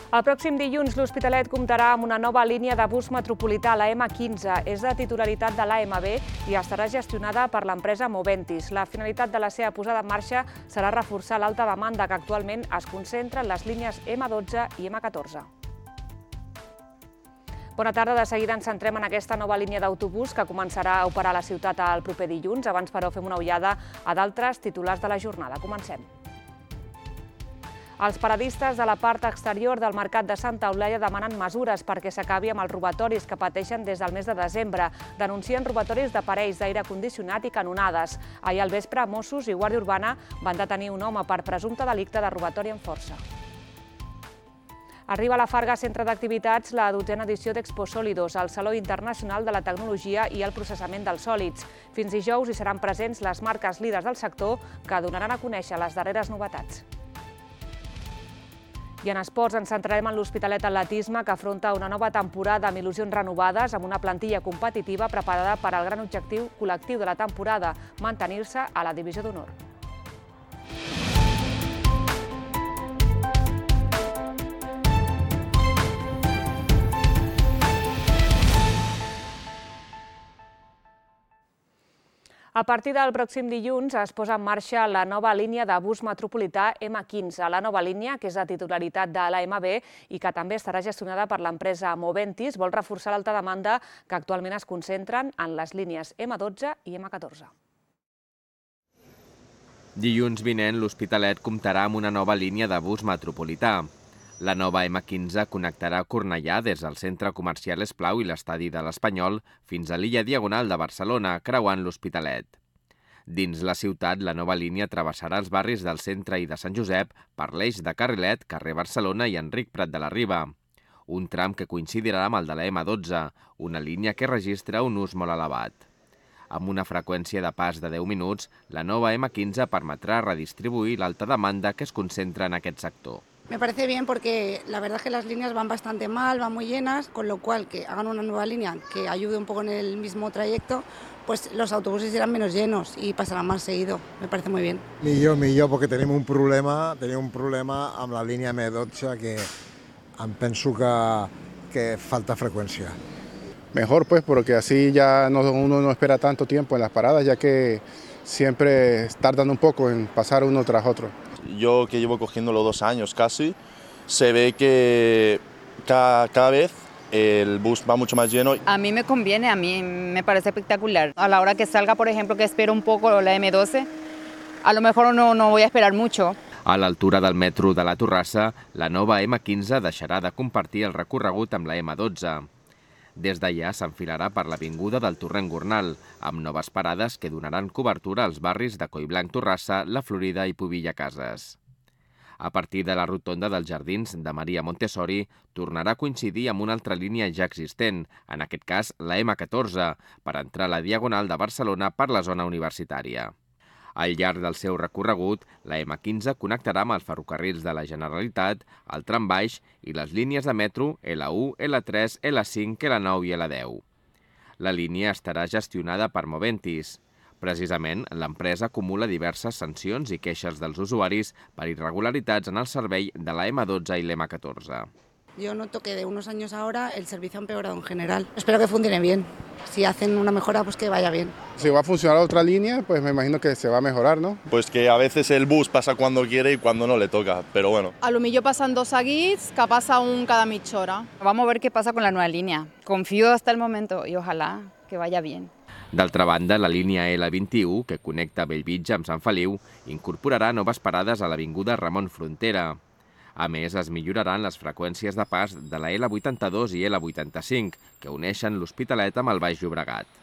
El pròxim dilluns l'Hospitalet comptarà amb una nova línia de bus metropolità, la M15. És de titularitat de l'AMB i estarà gestionada per l'empresa Moventis. La finalitat de la seva posada en marxa serà reforçar l'alta demanda que actualment es concentra en les línies M12 i M14. Bona tarda. De seguida ens centrem en aquesta nova línia d'autobús que començarà a operar a la ciutat el proper dilluns. Abans, però, fem una ullada a d'altres titulars de la jornada. Comencem. Els paradistes de la part exterior del mercat de Santa Eulàlia demanen mesures perquè s'acabi amb els robatoris que pateixen des del mes de desembre. Denuncien robatoris d'aparells d'aire condicionat i canonades. Ahir al vespre, Mossos i Guàrdia Urbana van detenir un home per presumpte delicte de robatori amb força. Arriba a la Farga Centre d'Activitats la 12a edició d'Expo Sòlidos, el Saló Internacional de la Tecnologia i el Processament dels Sòlids. Fins dijous hi seran presents les marques líders del sector que donaran a conèixer les darreres novetats. I en esports ens centrarem en l'Hospitalet Atletisme, que afronta una nova temporada amb il·lusions renovades, amb una plantilla competitiva preparada per al gran objectiu col·lectiu de la temporada, mantenir-se a la divisió d'honor. A partir del pròxim dilluns es posa en marxa la nova línia de bus metropolità M15. La nova línia, que és de titularitat de l'AMB i que també estarà gestionada per l'empresa Moventis, vol reforçar l'alta demanda que actualment es concentren en les línies M12 i M14. Dilluns vinent, l'Hospitalet comptarà amb una nova línia de bus metropolità. La nova M15 connectarà Cornellà des del centre comercial Esplau i l'estadi de l'Espanyol fins a l'illa Diagonal de Barcelona, creuant l'Hospitalet. Dins la ciutat, la nova línia travessarà els barris del centre i de Sant Josep per l'eix de Carrilet, carrer Barcelona i Enric Prat de la Riba. Un tram que coincidirà amb el de la M12, una línia que registra un ús molt elevat. Amb una freqüència de pas de 10 minuts, la nova M15 permetrà redistribuir l'alta demanda que es concentra en aquest sector. Me parece bien porque la verdad es que las líneas van bastante mal, van muy llenas, con lo cual que hagan una nueva línea que ayude un poco en el mismo trayecto, pues los autobuses irán menos llenos y pasarán más seguido. Me parece muy bien. Millor, porque tenim un problema amb la línia M12 que em penso que falta freqüència. Mejor pues porque así ya uno no espera tanto tiempo en las paradas, ya que siempre tardan un poco en pasar uno tras otro. Yo que llevo cogiéndolo 2 años casi, se ve que cada vez el bus va mucho más lleno. A mí me conviene, a mí me parece espectacular. A la hora que salga, por ejemplo, que espero un poco la M12, a lo mejor no voy a esperar mucho. A l'altura del metro de la Torrassa, la nova M15 deixarà de compartir el recorregut amb la M12. Des d'allà s'enfilarà per l'avinguda del Torrent Gornal, amb noves parades que donaran cobertura als barris de Collblanc, Torrassa, La Florida i Pubilla Cases. A partir de la rotonda dels Jardins de Maria Montessori, tornarà a coincidir amb una altra línia ja existent, en aquest cas la M14, per entrar a la Diagonal de Barcelona per la zona universitària. Al llarg del seu recorregut, la M15 connectarà amb els ferrocarrils de la Generalitat, el trambaix i les línies de metro L1, L3, L5, L9 i L10. La línia estarà gestionada per Moventis. Precisament, l'empresa acumula diverses sancions i queixes dels usuaris per irregularitats en el servei de la M12 i l'M14. Yo noto que de unos años ahora el servicio ha empeorado en general. Espero que funcione bien. Si hacen una mejora, pues que vaya bien. Si va a funcionar otra línea, pues me imagino que se va a mejorar, ¿no? Pues que a veces el bus pasa cuando quiere y cuando no le toca, pero bueno. A lo millor pasan 2 seguits, que passa un cada mitja hora. Vamos a ver qué pasa con la nueva línea. Confío hasta el momento y ojalá que vaya bien. D'altra banda, la línia L21, que connecta Bellvitge amb Sant Feliu, incorporarà noves parades a l'avinguda Ramon Frontera. A més, es milloraran les freqüències de pas de la L82 i L85, que uneixen l'Hospitalet amb el Baix Llobregat.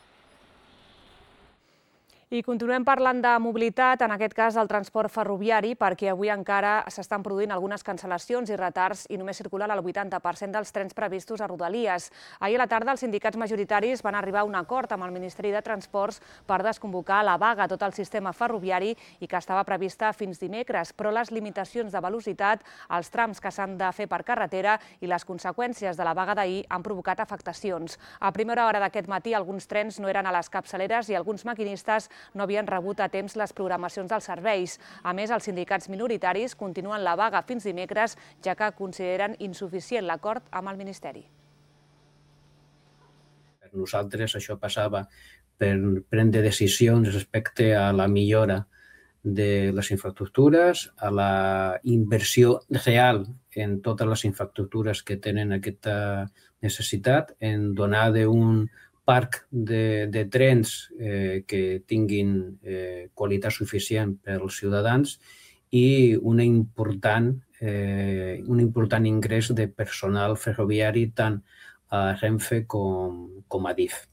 I continuem parlant de mobilitat, en aquest cas del transport ferroviari, perquè avui encara s'estan produint algunes cancel·lacions i retards i només circulen el 80% dels trens previstos a Rodalies. Ahir a la tarda els sindicats majoritaris van arribar a un acord amb el Ministeri de Transports per desconvocar la vaga a tot el sistema ferroviari i que estava prevista fins dimecres, però les limitacions de velocitat, els trams que s'han de fer per carretera i les conseqüències de la vaga d'ahir han provocat afectacions. A primera hora d'aquest matí alguns trens no eren a les capçaleres i alguns maquinistes no havien rebut a temps les programacions dels serveis. A més, els sindicats minoritaris continuen la vaga fins dimecres, ja que consideren insuficient l'acord amb el Ministeri. Per nosaltres això passava per prendre decisions respecte a la millora de les infraestructures, a la inversió real en totes les infraestructures que tenen aquesta necessitat, en donar d'un parc de trens que tinguin qualitat suficient per als ciutadans i un important ingrés de personal ferroviari tant a Renfe com a DIF.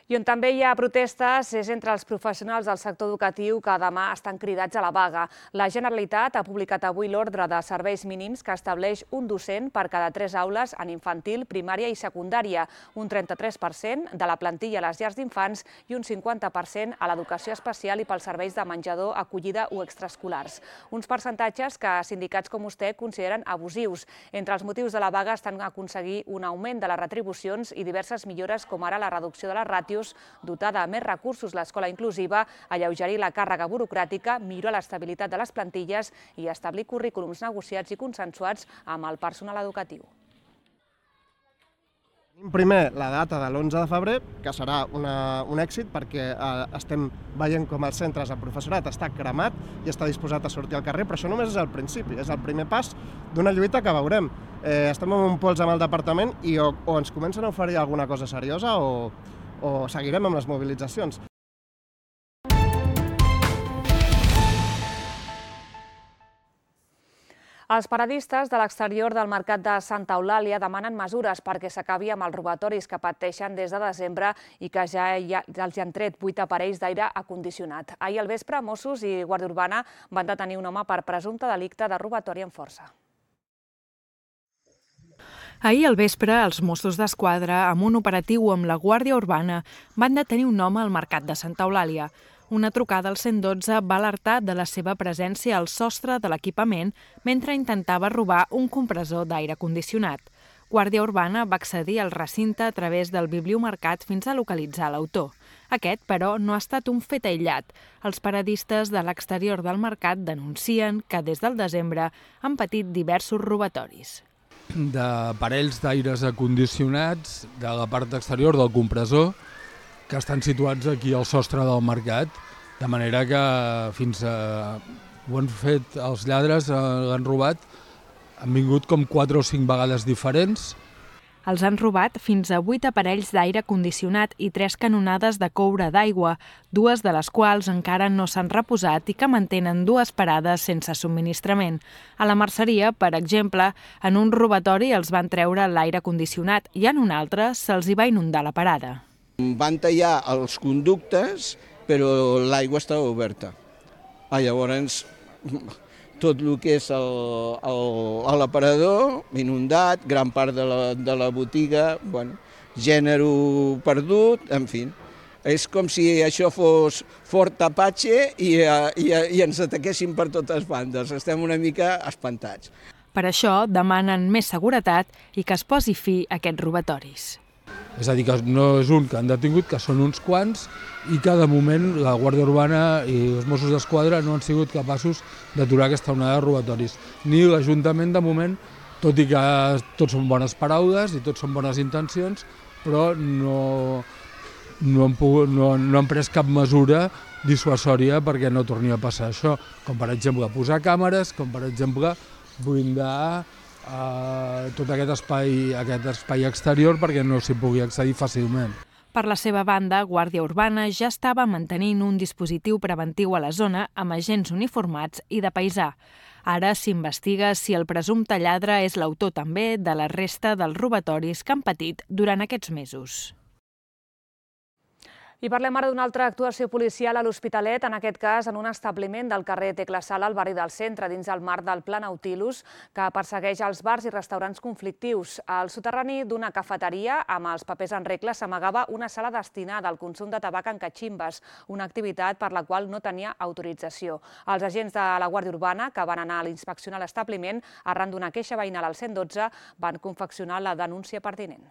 I on també hi ha protestes és entre els professionals del sector educatiu que demà estan cridats a la vaga. La Generalitat ha publicat avui l'ordre de serveis mínims que estableix un docent per cada 3 aules en infantil, primària i secundària, un 33% de la plantilla a les llars d'infants i un 50% a l'educació especial i pels serveis de menjador, acollida o extraescolars. Uns percentatges que sindicats com vostè consideren abusius. Entre els motius de la vaga estan aconseguir un augment de les retribucions i diverses millores com ara la reducció de les ràtios, dotar de més recursos l'escola inclusiva, alleugerir la càrrega burocràtica, millorar l'estabilitat de les plantilles i establir currículums negociats i consensuats amb el personal educatiu. Primer, la data de l'11 de febrer, que serà un èxit perquè estem veient com els centres, el professorat està cremat i està disposat a sortir al carrer, però això només és el principi, és el primer pas d'una lluita que veurem. Estem en un pols amb el departament i o ens comencen a oferir alguna cosa seriosa o seguirem amb les mobilitzacions. Els paradistes de l'exterior del mercat de Santa Eulàlia demanen mesures perquè s'acabi amb els robatoris que pateixen des de desembre i que ja els han tret 8 aparells d'aire acondicionat. Ahir al vespre, Mossos i Guàrdia Urbana van detenir un home per presumpte delicte de robatori amb força. Ahir al vespre, els Mossos d'Esquadra, amb un operatiu amb la Guàrdia Urbana, van detenir un home al mercat de Santa Eulàlia. Una trucada al 112 va alertar de la seva presència al sostre de l'equipament mentre intentava robar un compressor d'aire condicionat. Guàrdia Urbana va accedir al recinte a través del bibliomercat fins a localitzar l'autor. Aquest, però, no ha estat un fet aïllat. Els paradistes de l'exterior del mercat denuncien que des del desembre han patit diversos robatoris. D'aparells d'aires acondicionats de la part exterior del compressor que estan situats aquí al sostre del mercat, de manera que fins ho han fet els lladres, l'han robat, han vingut com 4 o 5 vegades diferents. Els han robat fins a 8 aparells d'aire condicionat i 3 canonades de coure d'aigua, 2 de les quals encara no s'han reposat i que mantenen 2 parades sense subministrament. A la merceria, per exemple, en un robatori els van treure l'aire condicionat i en un altre se'ls hi va inundar la parada. Van tallar els conductes, però l'aigua estava oberta. Llavors, tot el que és l'aparador inundat, gran part de la botiga, gènere perdut, en fi. És com si això fos Fort Apache i ens ataquessin per totes bandes. Estem una mica espantats. Per això demanen més seguretat i que es posi fi a aquests robatoris. És a dir, que no és un que han detingut, que són uns quants i que de moment la Guàrdia Urbana i els Mossos d'Esquadra no han sigut capaços d'aturar aquesta onada de robatoris. Ni l'Ajuntament de moment, tot i que tots són bones paraules i tots són bones intencions, però no han pres cap mesura dissuasòria perquè no torni a passar això, com per exemple posar càmeres, com per exemple blindar tot aquest espai exterior perquè no s'hi pugui accedir fàcilment. Per la seva banda, Guàrdia Urbana ja estava mantenint un dispositiu preventiu a la zona amb agents uniformats i de paisà. Ara s'investiga si el presumpte lladre és l'autor també de la resta dels robatoris que han patit durant aquests mesos. I parlem ara d'una altra actuació policial a l'Hospitalet, en aquest cas en un establiment del carrer Tecla Sala, al barri del Centre, dins el marc del Pla Nautilus, que persegueix els bars i restaurants conflictius. Al soterrani d'una cafeteria, amb els papers en regla, s'amagava una sala destinada al consum de tabac en catximbes, una activitat per la qual no tenia autorització. Els agents de la Guàrdia Urbana, que van anar a inspeccionar l'establiment, arran d'una queixa veïnal al 112, van confeccionar la denúncia pertinent.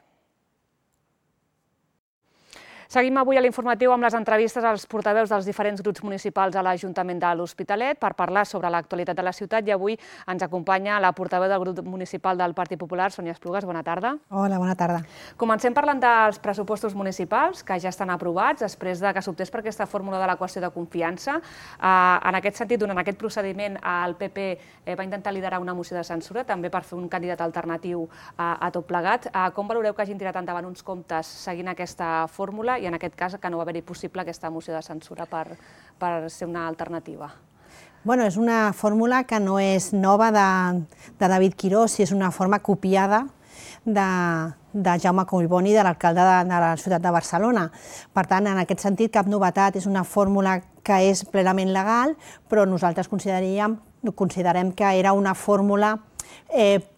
Seguim avui a l'informatiu amb les entrevistes als portaveus dels diferents grups municipals a l'Ajuntament de l'Hospitalet per parlar sobre l'actualitat de la ciutat i avui ens acompanya la portaveu del grup municipal del Partit Popular, Sònia Esplugues. Bona tarda. Hola, bona tarda. Comencem parlant dels pressupostos municipals que ja estan aprovats després que s'optés per aquesta fórmula de la qüestió de confiança. En aquest sentit, durant aquest procediment, el PP va intentar liderar una moció de censura també per fer un candidat alternatiu a tot plegat. Com valoreu que hagin tirat endavant uns comptes seguint aquesta fórmula i en aquest cas que no va haver-hi possible aquesta moció de censura per ser una alternativa? Bueno, és una fórmula que no és nova de David Quirós, és una forma copiada de Jaume Collboni, de l'alcalde de la ciutat de Barcelona. Per tant, en aquest sentit, cap novetat, és una fórmula que és plenament legal, però nosaltres considerem que era una fórmula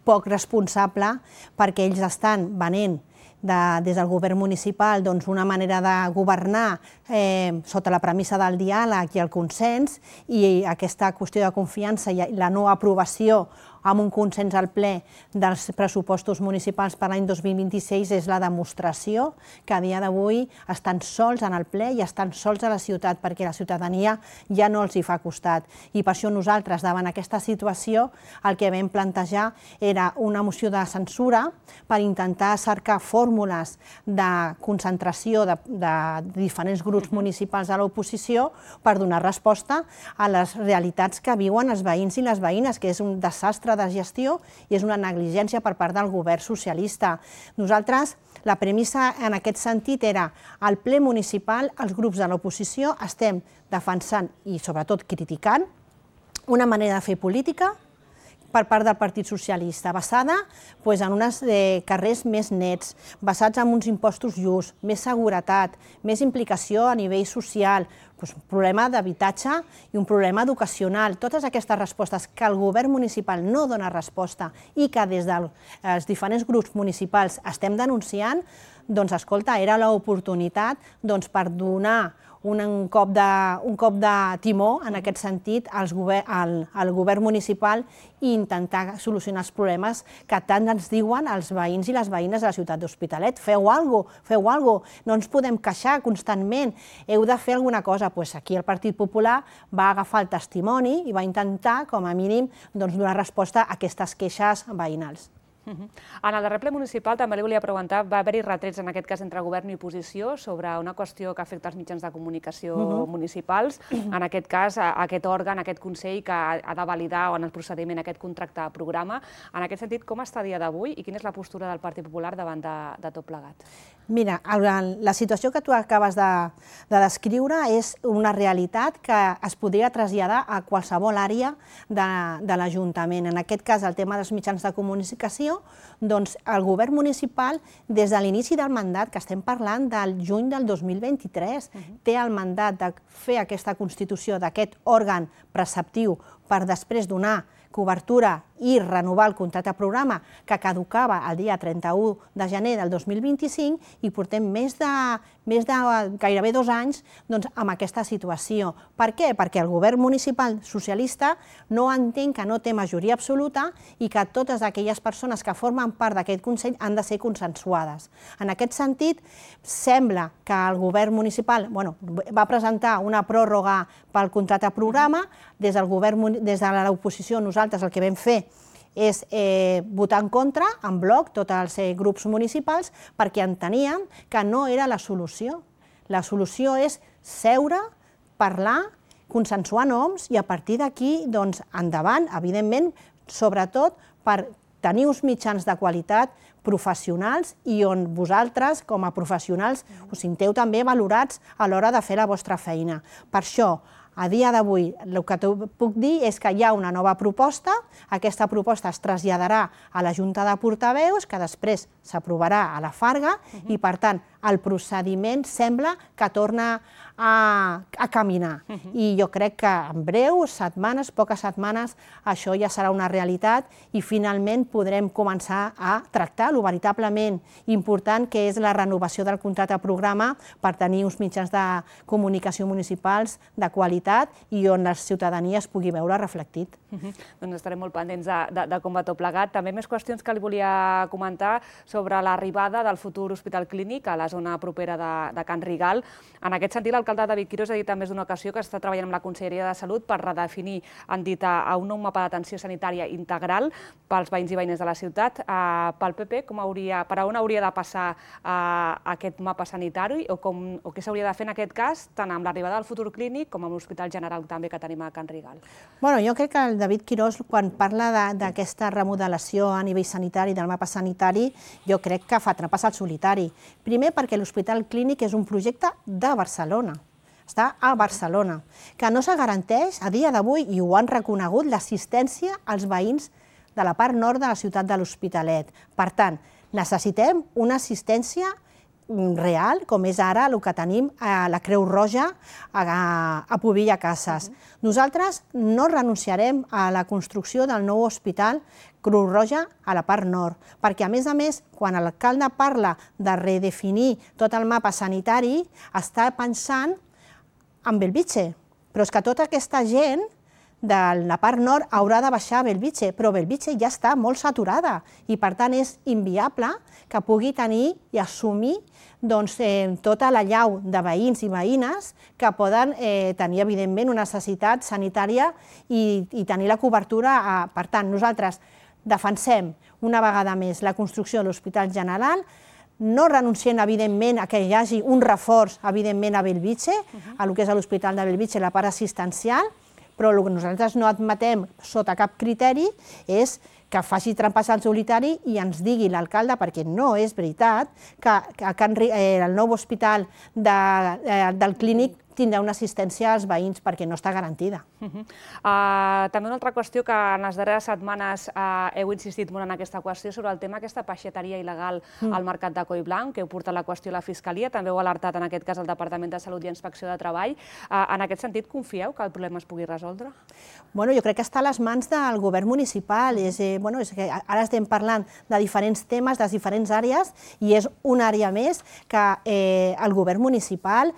poc responsable perquè ells estan venent des del govern municipal una manera de governar sota la premissa del diàleg i el consens, i aquesta qüestió de confiança i la no aprovació amb un consens al ple dels pressupostos municipals per l'any 2026 és la demostració que a dia d'avui estan sols en el ple i estan sols a la ciutat perquè la ciutadania ja no els hi fa costat. I per això nosaltres, davant aquesta situació, el que vam plantejar era una moció de censura per intentar cercar fórmules de concentració de diferents grups municipals de l'oposició per donar resposta a les realitats que viuen els veïns i les veïnes, que és un desastre de gestió i és una negligència per part del govern socialista. Nosaltres, la premissa en aquest sentit era al ple municipal, els grups de l'oposició estem defensant i sobretot criticant una manera de fer política per part del Partit Socialista, basada en uns carrers més nets, basats en uns impostos justos, més seguretat, més implicació a nivell social, un problema d'habitatge i un problema educacional. Totes aquestes respostes que el govern municipal no dona resposta i que des dels diferents grups municipals estem denunciant, doncs, escolta, era l'oportunitat per donar un cop de timó, en aquest sentit, al govern municipal i intentar solucionar els problemes que tant ens diuen els veïns i les veïnes de la ciutat d'Hospitalet. Feu alguna cosa, no ens podem queixar constantment, heu de fer alguna cosa. Aquí el Partit Popular va agafar el testimoni i va intentar, com a mínim, donar resposta a aquestes queixes veïnals. En el darrer ple municipal també li volia preguntar, va haver-hi retrets en aquest cas entre govern i oposició sobre una qüestió que afecta els mitjans de comunicació municipals, en aquest cas aquest òrgan, aquest consell que ha de validar en el procediment aquest contracte programa. En aquest sentit, com està a dia d'avui i quina és la postura del Partit Popular davant de tot plegat? Mira, la situació que tu acabes de descriure és una realitat que es podria traslladar a qualsevol àrea de l'Ajuntament. En aquest cas, el tema dels mitjans de comunicació, doncs el govern municipal, des de l'inici del mandat, que estem parlant del juny del 2023, té el mandat de fer aquesta constitució d'aquest òrgan preceptiu per després donar cobertura i renovar el contracte programa que caducava el dia 31 de gener del 2025 i portem més de gairebé 2 anys amb aquesta situació. Per què? Perquè el govern municipal socialista no entén que no té majoria absoluta i que totes aquelles persones que formen part d'aquest Consell han de ser consensuades. En aquest sentit, sembla que el govern municipal va presentar una pròrroga pel contracte programa. Des de l'oposició nosaltres el que vam fer és votar en contra, en bloc, tots els grups municipals, perquè enteníem que no era la solució. La solució és seure, parlar, consensuar noms i a partir d'aquí, endavant, evidentment, sobretot per tenir uns mitjans de qualitat professionals i on vosaltres, com a professionals, us sinteu també valorats a l'hora de fer la vostra feina. Per això, a dia d'avui, el que puc dir és que hi ha una nova proposta, aquesta proposta es traslladarà a la Junta de Portaveus, que després s'aprovarà a la Farga, i per tant el procediment sembla que torna a caminar. I jo crec que en breu, setmanes, poques setmanes, això ja serà una realitat i finalment podrem començar a tractar lo veritablement important que és la renovació del contracte programa per tenir uns mitjans de comunicació municipals de qualitat i on la ciutadania es pugui veure reflectit. Doncs estarem molt pendents de com va tot plegat. També més qüestions que li volia comentar sobre l'arribada del futur hospital clínic a la la zona propera de Can Rigal. En aquest sentit, l'alcalde David Quirós ha dit en més d'una ocasió que està treballant amb la Conselleria de Salut per redefinir, han dit, a un nou mapa d'atenció sanitària integral pels veïns i veïnes de la ciutat. Pel PP, per on hauria de passar aquest mapa sanitari o què s'hauria de fer en aquest cas, tant amb l'arribada del futur clínic com amb l'Hospital General també que tenim a Can Rigal? Bueno, jo crec que el David Quirós, quan parla d'aquesta remodelació a nivell sanitari, del mapa sanitari, jo crec que fa trampes al solitari. Primer perquè l'Hospital Clínic és un projecte de Barcelona, està a Barcelona, que no se garanteix a dia d'avui, i ho han reconegut, l'assistència als veïns de la part nord de la ciutat de l'Hospitalet. Per tant, necessitem una assistència real, com és ara el que tenim a la Creu Roja a Pobilla Cases. Nosaltres no renunciarem a la construcció del nou hospital Creu Roja a la part nord, perquè a més, quan l'alcalde parla de redefinir tot el mapa sanitari, està pensant en Bellvitge, però és que tota aquesta gent de la part nord haurà de baixar a Bellvitge, però Bellvitge ja està molt saturada i per tant és inviable que pugui tenir i assumir tota la llau de veïns i veïnes que poden tenir evidentment una necessitat sanitària i tenir la cobertura. Per tant, nosaltres defensem una vegada més la construcció de l'Hospital General, no renunciem, evidentment, a que hi hagi un reforç, evidentment, a Bellvitge, a lo que és l'Hospital de Bellvitge, la part assistencial, però el que nosaltres no admetem sota cap criteri és que faci trampes al solitari i ens digui l'alcalde, perquè no és veritat, que el nou hospital del Clínic tindrà una assistència als veïns perquè no està garantida. També una altra qüestió que en les darreres setmanes heu insistit molt en aquesta qüestió sobre el tema aquesta peixateria il·legal al mercat de Collblanc, que heu portat la qüestió a la Fiscalia, també heu alertat en aquest cas el Departament de Salut i Inspecció de Treball. En aquest sentit, confieu que el problema es pugui resoldre? Bueno, jo crec que està a les mans del govern municipal. Ara estem parlant de diferents temes, de diferents àrees, i és una àrea més que el govern municipal,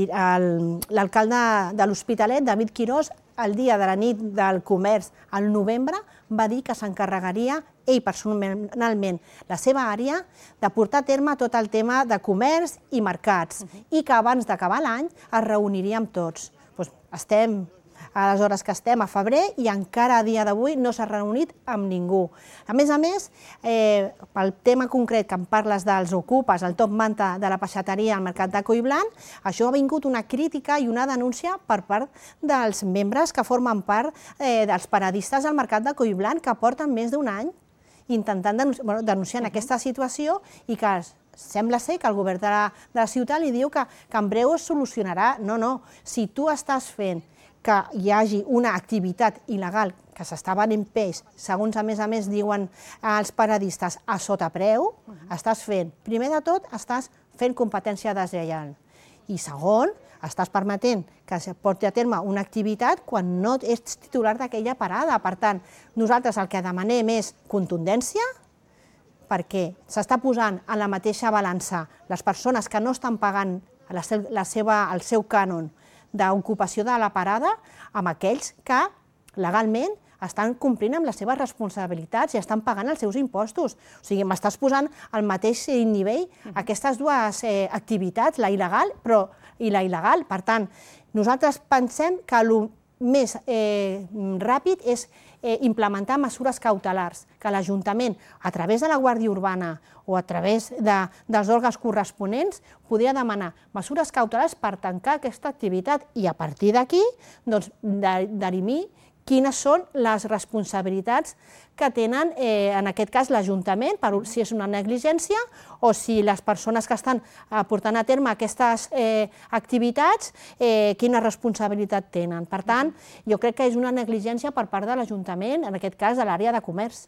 l'alcalde de l'Hospitalet, David Quirós, el dia de la nit del comerç al novembre, va dir que s'encarregaria ell personalment, la seva àrea, de portar a terme tot el tema de comerç i mercats i que abans d'acabar l'any es reuniria amb tots. Estem a les hores que estem, a febrer, i encara a dia d'avui no s'ha reunit amb ningú. A més, pel tema concret que em parles dels ocupes, el top manta de la peixateria al mercat de Collblanc, això ha vingut una crítica i una denúncia per part dels membres que formen part dels paradistes al mercat de Collblanc, que porten més d'un any intentant denunciar aquesta situació i que sembla ser que el govern de la ciutat li diu que en breu es solucionarà. No, si tu estàs fent que hi hagi una activitat il·legal que s'està venent peix, segons a més diuen els paradistes, a sota preu, estàs fent, primer de tot, estàs fent competència deslleial. I segon, estàs permetent que es porti a terme una activitat quan no ets titular d'aquella parada. Per tant, nosaltres el que demanem és contundència, perquè s'està posant en la mateixa balança les persones que no estan pagant el seu cànon d'ocupació de la parada amb aquells que legalment estan complint amb les seves responsabilitats i estan pagant els seus impostos. O sigui, m'estàs posant al mateix nivell aquestes dues activitats, la il·legal i la il·legal. Per tant, nosaltres pensem que el més ràpid és implementar mesures cautelars, que l'Ajuntament, a través de la Guàrdia Urbana o a través dels òrgans corresponents, podria demanar mesures cautelars per tancar aquesta activitat i a partir d'aquí dirimir quines són les responsabilitats que tenen, en aquest cas, l'Ajuntament, si és una negligència o si les persones que estan portant a terme aquestes activitats, quina responsabilitat tenen. Per tant, jo crec que és una negligència per part de l'Ajuntament, en aquest cas, de l'àrea de comerç.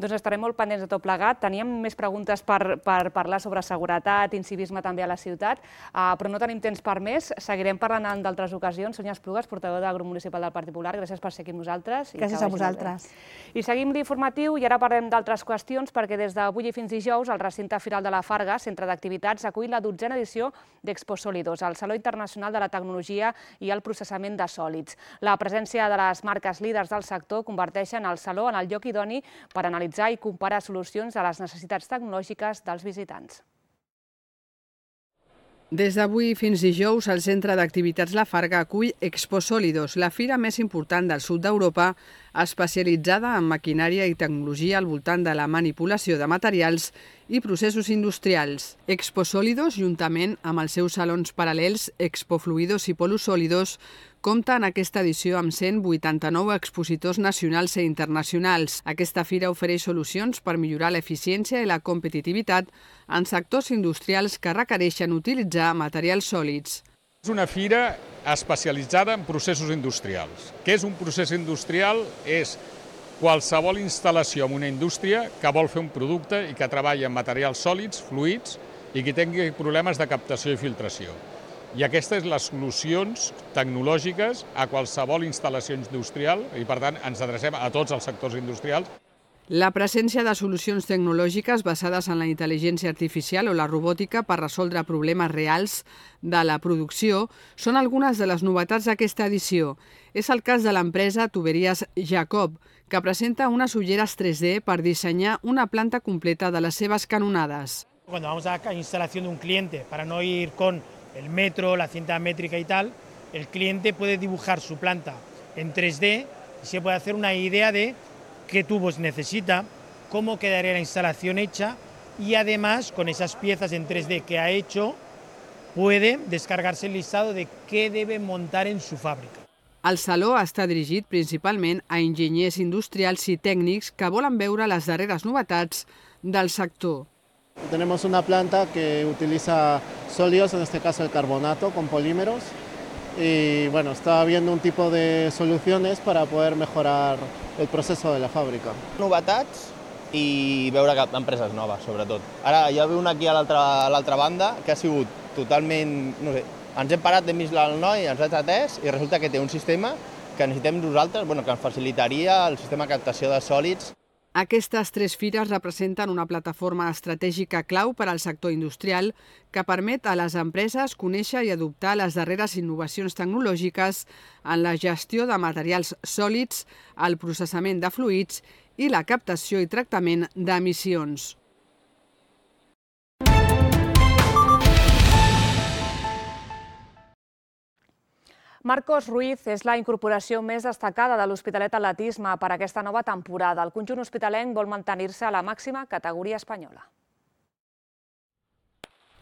Doncs estarem molt pendents de tot plegat. Teníem més preguntes per parlar sobre seguretat, incivisme també a la ciutat, però no tenim temps per més. Seguirem parlant en d'altres ocasions. Sònia Esplugues, portaveu del grup municipal del Partit Popular, gràcies per ser aquí amb nosaltres. Gràcies a vosaltres. I seguim l'informatiu i ara parlem d'altres qüestions perquè des d'avui fins dijous el recinte Firal de la Farga, centre d'activitats, acull la 12a edició d'Expo Sólidos, el Saló Internacional de la Tecnologia i el Processament de Sòlids. La presència de les marques líders del sector converteixen el saló en el lloc idoni per analitzar i comparar solucions a les necessitats tecnològiques dels visitants. Des d'avui fins dijous, el Centre d'Activitats La Farga acull Expo Sólidos, la fira més important del sud d'Europa, especialitzada en maquinària i tecnologia al voltant de la manipulació de materials i processos industrials. Expo Sólidos, juntament amb els seus salons paral·lels Expo Fluidos i Polus Sólidos, compta en aquesta edició amb 189 expositors nacionals i internacionals. Aquesta fira ofereix solucions per millorar l'eficiència i la competitivitat en sectors industrials que requereixen utilitzar materials sòlids. És una fira especialitzada en processos industrials. Què és un procés industrial? És qualsevol instal·lació en una indústria que vol fer un producte i que treballa amb materials sòlids, fluids, i que tingui problemes de captació i filtració. I aquestes són les solucions tecnològiques a qualsevol instal·lació industrial i, per tant, ens adrecem a tots els sectors industrials. La presència de solucions tecnològiques basades en la intel·ligència artificial o la robòtica per resoldre problemes reals de la producció són algunes de les novetats d'aquesta edició. És el cas de l'empresa Tuberías Jacob, que presenta unes ulleres 3D per dissenyar una planta completa de les seves canonades. Cuando vamos a la instalación de un cliente, para no ir con el metro, la cinta métrica y tal, el cliente puede dibujar su planta en 3D y se puede hacer una idea de qué tubos necesita, cómo quedaría la instalación hecha y además con esas piezas en 3D que ha hecho puede descargarse el listado de qué debe montar en su fábrica. El saló està dirigit principalment a enginyers industrials i tècnics que volen veure les darreres novetats del sector. Tenemos una planta que utiliza sólidos, en este caso el carbonato, con polímeros. Y bueno, está viendo un tipo de soluciones para poder mejorar el proceso de la fàbrica. Novetats i veure empreses noves, sobretot. Ara ja ve una aquí a l'altra banda que ha sigut totalment, no sé, ens hem parat, hem vist el noi, ens ha atès i resulta que té un sistema que necessitem nosaltres, que ens facilitaria el sistema de captació de sòlids. Aquestes 3 fires representen una plataforma estratègica clau per al sector industrial que permet a les empreses conèixer i adoptar les darreres innovacions tecnològiques en la gestió de materials sòlids, el processament de fluids i la captació i tractament d'emissions. Marcos Ruiz és la incorporació més destacada de l'Hospitalet Atletisme per aquesta nova temporada. El conjunt hospitalenc vol mantenir-se a la màxima categoria espanyola.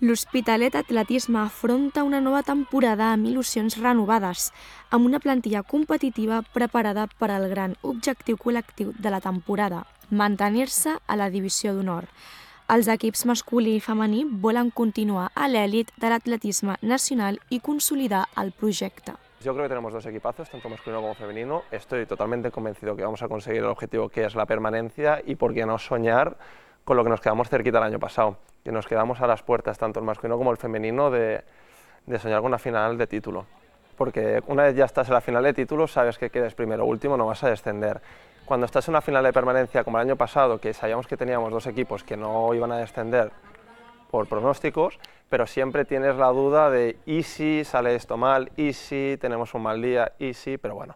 L'Hospitalet Atletisme afronta una nova temporada amb il·lusions renovades, amb una plantilla competitiva preparada per al gran objectiu col·lectiu de la temporada, mantenir-se a la divisió d'honor. Els equips masculí i femení volen continuar a l'èlit de l'atletisme nacional i consolidar el projecte. Yo creo que tenemos 2 equipazos, tanto masculino como femenino. Estoy totalmente convencido que vamos a conseguir el objetivo que es la permanencia y por qué no soñar con lo que nos quedamos cerquita el año pasado, que nos quedamos a las puertas, tanto el masculino como el femenino, de soñar con una final de título. Porque una vez ya estás en la final de título, sabes que quedes primero o último, no vas a descender. Cuando estás en una final de permanencia como el año pasado, que sabíamos que teníamos 2 equipos que no iban a descender por pronósticos, pero siempre tienes la duda de ¿y si sale esto mal? ¿Y si tenemos un mal día? ¿Y si? Pero bueno,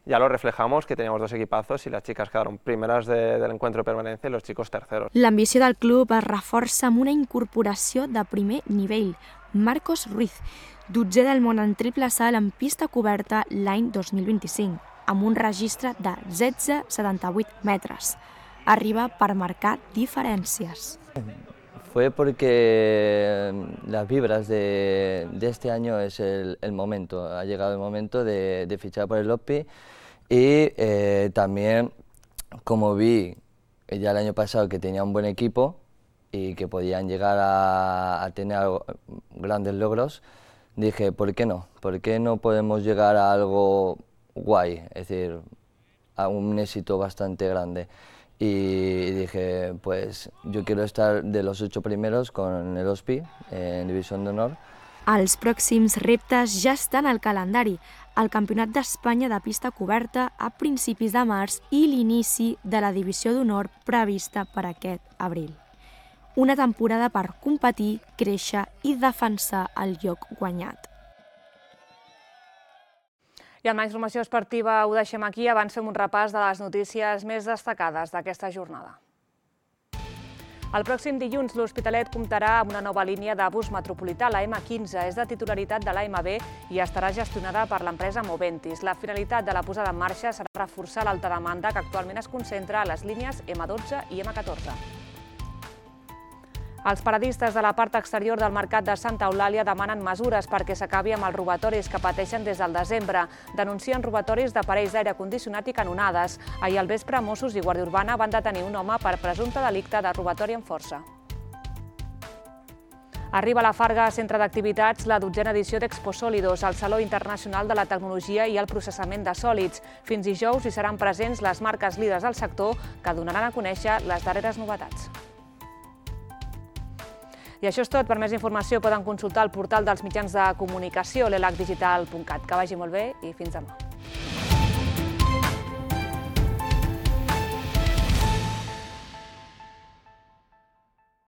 ya lo reflejamos, que teníamos 2 equipazos y las chicas quedaron primeras del encuentro de permanencia y los chicos terceros. L'ambició del club es reforça amb una incorporació de primer nivell, Marcos Ruiz, 12è del món en triple salt en pista coberta l'any 2025, amb un registre de 16,78 metres. Arriba per marcar diferències. Fue porque las vibras de este año es el momento, ha llegado el momento de fichar por el OSPI y también como vi ya el año pasado que tenía un buen equipo y que podían llegar a tener grandes logros, dije, ¿por qué no? ¿Por qué no podemos llegar a algo guay, es decir, a un éxito bastante grande? Y dije, pues yo quiero estar de los 8 primeros con el OSPI en División d'Honor. Els pròxims reptes ja estan al calendari, el Campionat d'Espanya de pista coberta a principis de març i l'inici de la Divisió d'Honor prevista per aquest abril. Una temporada per competir, créixer i defensar el lloc guanyat. I amb la informació esportiva ho deixem aquí. Abans fem un repàs de les notícies més destacades d'aquesta jornada. El pròxim dilluns l'Hospitalet comptarà amb una nova línia de bus metropolità, la M15. És de titularitat de l'AMB i estarà gestionada per l'empresa Moventis. La finalitat de la posada en marxa serà reforçar l'alta demanda que actualment es concentra a les línies M12 i M14. Els paradistes de la part exterior del mercat de Santa Eulàlia demanen mesures perquè s'acabi amb els robatoris que pateixen des del desembre. Denuncien robatoris d'aparells d'aire condicionat i canonades. Ahir al vespre, Mossos i Guàrdia Urbana van detenir un home per presumpte delicte de robatori amb força. Arriba a la Farga Centre d'Activitats la 12a edició d'Expo Sólidos, el Saló Internacional de la Tecnologia i el Processament de Sòlids. Fins dijous hi seran presents les marques líders del sector que donaran a conèixer les darreres novetats. I això és tot. Per més informació poden consultar el portal dels mitjans de comunicació, l'elacdigital.cat. Que vagi molt bé i fins demà.